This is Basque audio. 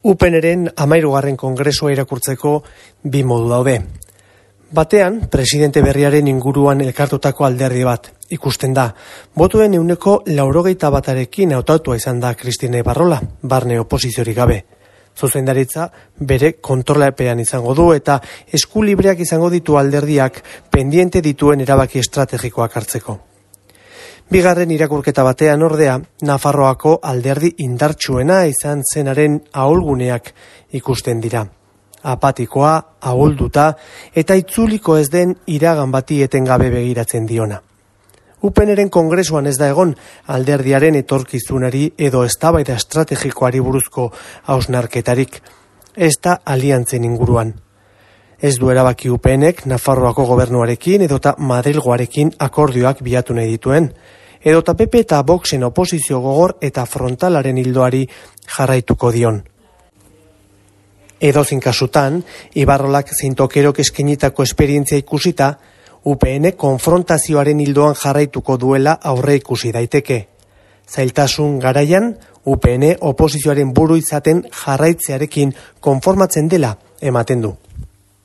UPNren 13. kongresua irakurtzeko bi modu daude. Batean, presidente berriaren inguruan elkartutako alderdi bat ikusten da. Botuen 81%arekin hautatua izan da Kristine Ibarrola, barne oposiziorik gabe. Zuzendaritza bere kontrolapean izango du eta eskulibreak izango ditu alderdiak pendiente dituen erabaki estrategikoak hartzeko. Bigarren irakurketa batean ordea, Nafarroako alderdi indartsuena izan zenaren ahulguneak ikusten dira. Apatikoa, ahulduta eta itzuliko ez den iragan bati etengabe begiratzen diona. UPNren kongresuan ez da egon alderdiaren etorkizunari edo eztabaida estrategikoari buruzko hausnarketarik, ez da aliantzen inguruan. Ez du erabaki UPNek Nafarroako gobernuarekin edota Madrilgoarekin akordioak bilatu nahi dituen, edota PP eta Voxen oposizio gogor eta frontalaren ildoari jarraituko dion. Edozein kasutan, Ibarrolak zein Tokerok eskainitako esperientzia ikusita, UPN konfrontazioaren ildoan jarraituko duela aurre ikusi daiteke. Zailtasun garaian, UPN oposizioaren buru izaten jarraitzearekin konformatzen dela ematen du.